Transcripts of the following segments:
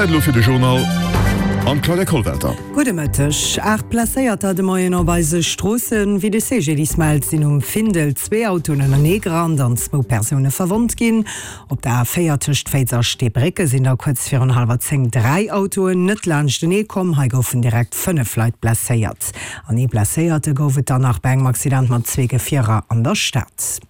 Zäit elo fir de Journal an d'Claudia Kollwelter. Gudde Mëtteg. 8 Blesséierter de Moien op eise Stroossen. Wéi de CGDIS mellt, sinn um Findel zwee Autoen ënnerneegerannt an zwou Persoune verwonnt ginn. Op der A4 tëscht Féiz a Steebrécke sinn da kuerz virun hallwer 10 dräi Autoen net laanschtenee komm. Hei goufen direkt 5 Leit blesséiert. An ee Blesséierte gouf et dann nach bei engem Accident mat zwee Gefierer an der Stad.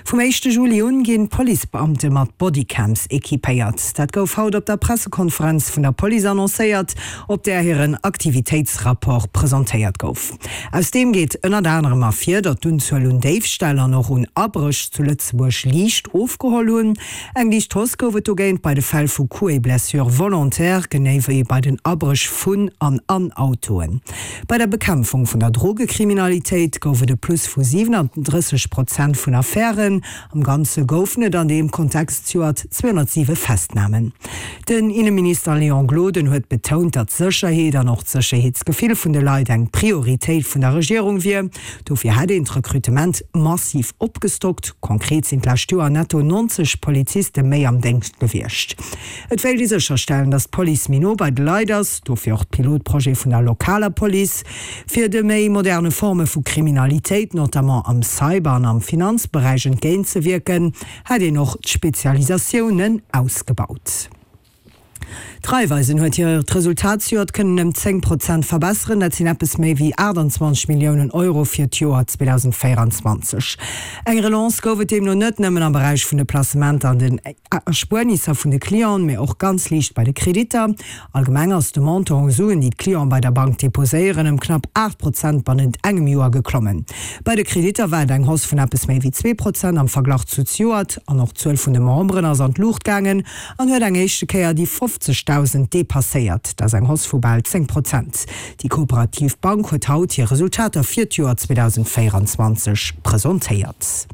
Vum éischte Juli un ginn d'Policebeamte mat Bodycams equipéiert. Dat gouf haut op der Pressekonferenz vun der Police annoncéiert, op där hiren Aktivitéitsrapport presentéiert gouf. Aus deem geet ënnert anerem ervir, datt d'Unzuel un Déifställ an och un Abréch zu Lëtzebuerg liicht ofgeholl hunn. Eng liicht Hausse gouf et dogéint bei de Fäll vu Coups et blessures volontaires, genee wéi bei den Abréch vun an an Autoen. Bei der Bekämpfung vun der Drogekriminalitéit gouf et e Plus vu 37 Prozent vun Affären. Am Ganze goufen et an deem Kontext zejoert 207 Festnamen. Den Inneminister Léon Gloden huet betount, datt d'Sécherheet an och d'Sécherheetsgefill vun de Leit eng Prioritéit vun der Regierung wier. Dofir hätt een d'Rekrutement massiv opgestockt. Konkret sinn d'lescht Joer netto 90 Poliziste méi am Déngscht gewiescht. Et wéilt ee sécherstellen, datt d'Police méi no bei de Leit ass, dofir och d'Pilotprojet vun der lokaler Police. Fir de méi moderne Forme vu Kriminalitéit, notamment am Cyber an am Finanzberäich entgéintzewierken, hätt een och d'Spezialisatiounen ausgebaut. D'Raiffeisen huet hiert Resultat zejoert kënnen ëm 10 Prozent verbesseren. Dat sinn eppes méi wéi 28 Milliounen Euro fir d'Joer 2024. Eng Relance gouf et deemno net nëmmen am Beräich vun de Placementer an den Erspuernisser vun de Clienten, mee och ganz liicht bei de Kreditter. Allgemeng ass de Montant u Suen, déi d'Clienten bei der Bank deposéieren, ëm knapp 8 Prozent bannent engem Joer geklommen. Bei de Kreditter war et eng Hausse vun eppes méi wéi 2 Prozent am Verglach zu zejoert. An och d'Zuel vun de Memberen ass an d'Luucht gaangen an huet eng éischte Kéier déi 50.000 depasséiert. Dat ass eng Hausse vu bal 10 Prozent. Déi kooperativ Bank huet haut hir Resultater fir d'Joer 2024 presentéiert.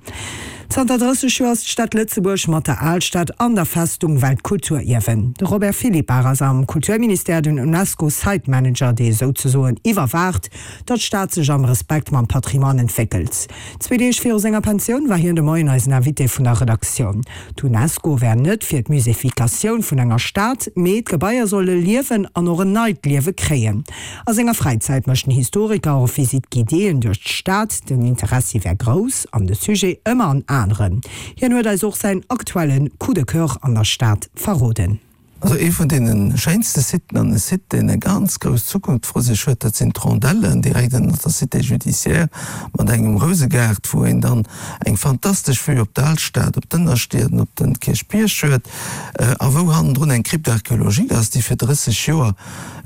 Zanter 30 Joer ass d'Stad Lëtzebuerg mat der Alstad an der Festung Weltkulturierwen. De Robert Philippart ass am Kulturministère den UNESCO Site Manager, dee souzesoen iwwerwaacht, datt d'Stad sech am Respekt mam Patrimoine entwéckelt. Zwee Deeg viru senger Pensioun war hien de Moien eisen Invité vun der Redaktioun. D'UNESCO wär net fir d'Muséefikatioun vun enger Stad, mee d'Gebaier solle liewen an och en neit Liewe kréien. A senger Fräizäit mécht den Historiker och Visite guidéeën duerch d'Stad. Den Interessi wär grouss an de Sujet ëmmer en aneren. Hien huet eis och säin aktuelle Coup de coeur an der Stad verroden. Also ee vun deene schéinste Siten an e Site, deen eng ganz grouss Zukunft vru sech huet, dat sinn d'Rondellen direkt ënnert der Cité judiciaire mat engem Rousegaart, wou een dann eng fantastesch Vue op d'Alstad, op d'Ënnerstied an op de Kierchbierg huet a wou hannendrun eng Crypte archéologique ass, déi fir 30 Joer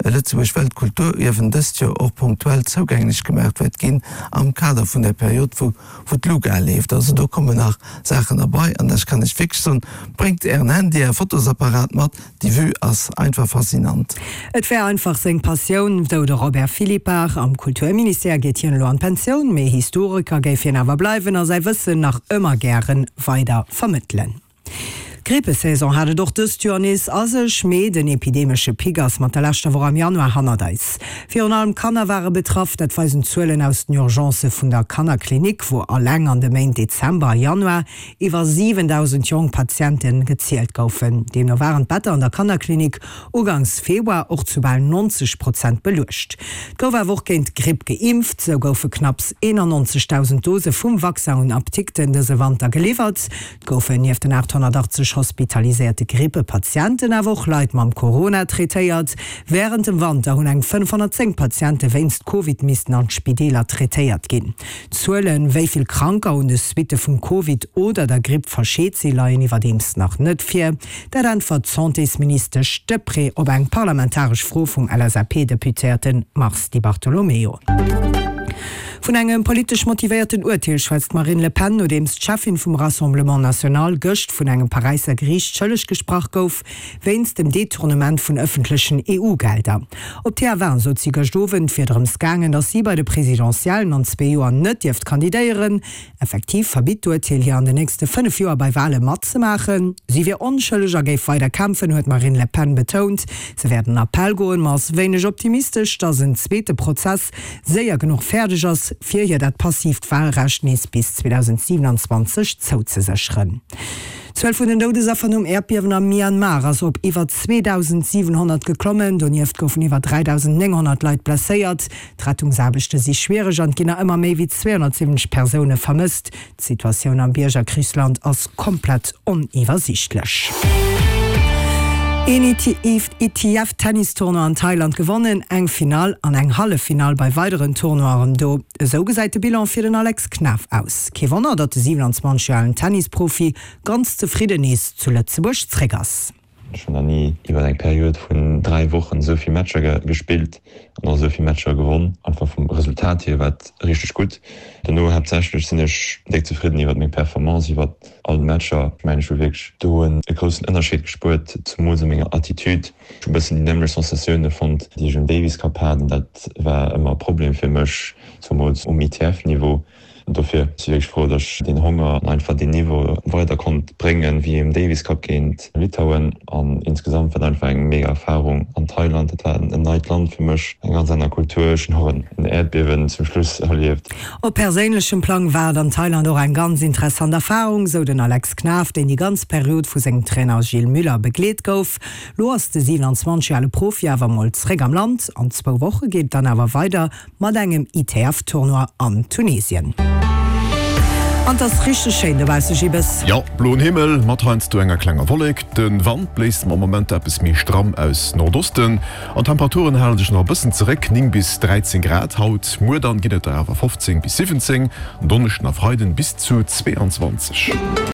Lëtzebuerg Weltkulturierwen dëst Joer och punktuell zougänglech gemaach wäert ginn am Kader vun där Period, wou wou d'Luga leeft. Also do kommen nach Saachen erbei an ech kann iech wierklech soen, bréngt ären Handy, är Fotosapparat mat, déi Vue ass einfach faszinant. Et wär einfach seng Passioun, sou de Robert Philippart. Am Kulturministère geet hien elo an d'Pensioun, mee Historiker géif hien awer bleiwen a säi Wëssen nach ëmmer gäre weider vermëttelen. D'Grippesaison hat et och dëst Joer nees a sech, mee den epidemesche Pic ass mat der leschter Woch am Januar hannert eis. Virun allem Kanner ware betraff, dat weisen d'Zuelen aus den Urgencë vun der Kannerklinik, wou alleng an de Méint Dezember a Januar iwwer 7.000 jonk Patiente gezielt goufen. Deemno waren d'Better an der Kannerklinik ugangs Februar och zu bal 90 Prozent beluecht. Et gouf awer och géint d'Gripp geimpft, sou goufe knapps 91.000 Dose vum Vaccin un Apdikten dëse Wanter geliwwert. Et goufen nieft den 880 hospitaliséierte Grippepatienten awer och Leit mam Corona traitéiert. Wärend dem Wanter hunn eng 510 Patiente wéinst Covid missten an d'Spideeler traitéiert ginn. D'Zuelen, wéi vill Kranker un de Suitte vum Covid oder der Gripp verscheet sinn, leien iwwerdeems nach net vir. Dat äntwert d'Santésministesch Deprez op eng parlamentaresch Fro vum LSAP-Deputéierte Mars Di Bartolomeo. Vun engem politesch motivéierten Urteel schwätzt d'Marine Le Pen, nodeems d'Cheffin vum Rassemblement National gëscht vun engem Paräisser Geriicht schëlleg gesprach gouf, wéinst dem Detournement vun ëffentlechen EU-Gelder. Op TF1 sot si gëscht Owend, et wier drëms gaangen, datt si bei de Presidentiellen an zwee Joer net dierft kandidéieren. Effektiv verbitt d'Urteel hir an den nächste 5 Joer bei Wale matzemaachen. Si wier onschëlleg a géif weider kämpfen, huet d'Marine Le Pen betount. Se wäert an Appell goen, ma ass wéineg optimistesch, datt en zweete Prozess séier genuch fäerdeg ass, fir hir dat passiivt Walrecht nees bis 2027 zouzesécheren. D'Zuel vun den Doudesaffer nom Äerdbiewen am Myanmar ass op iwwer 2.700 geklommen. Donieft goufen iwwer 3.900 Leit blesséiert. D'Rettungsaarbechte si schwiereg an et ginn nach ëmmer méi wéi 270 Persoune vermësst. D'Situatioun am Biergerkrichsland ass komplett oniwwersiichtlech. Een ITF-Tennistournoi an Thailand gewonnen, eng Finall an eng Halleffinall bei weideren Tournoien do. Esou gesäit de Bilan fir den Alex Knaff aus. Kee Wonner, datt de 27 Joer alen Tennisprofi ganz zefridden nees zu Lëtzebuerg zréck ass. Ech hunn nach ni iwwer eng Period vun 3 Wochen esou vill Matcher gespillt an och esou vill Matcher gewonn. Einfach vum Resultat hier war et richteg gutt. Dono haaptsächlech sinn ech déck zefridden iwwer meng Performance iwwer all Matcher. Ech mengen ech hu wierklech do e groussen Ënnerscheed gespuert, zemools a menger Attitude. Ech hu bëssen déi nämmlecht Sensatioune fonnt, déi ech um Davis Cup hat an dat war ëmmer e Problem fir mech, zemools um ITF-Niveau. Dofir si wierklech frou, datt ech deen Honger an einfach deen Niveau weider konnt bréngen, wéi um Davis Cup géint Litauen. An insgesamt war et einfach eng mega Erfarung an Thailand. Dat war en neit Land fir mech, eng ganz aner Kultur. Ech hunn och en Äerdbiewen zum Schluss erlieft. Op perséinlechem Plang war et an Thailand och eng ganz interessant Erfarung, sou den Alex Knaff, deen déi ganz Period vu sengem Trainer Gilles Müller begleet gouf. Lo ass de 27 ale Profi awer mol zréck am Land. An zwou Woche geet et dann awer weider mat engem ITF-Tournoi an Tunesien. An 't ass richteg schéin dobausse, Gibbes. Jo, bloen Himmel mat heiansdo enger klenger Wollek. De Wand bléist am Moment eppes méi stramm aus Nordosten an d'Temperaturen hale sech nach e bëssen zeréck, 9 bis 13 Grad haut, muer dann ginn et der awer 15 bis 17, en Donneschden a Freiden bis zu 22.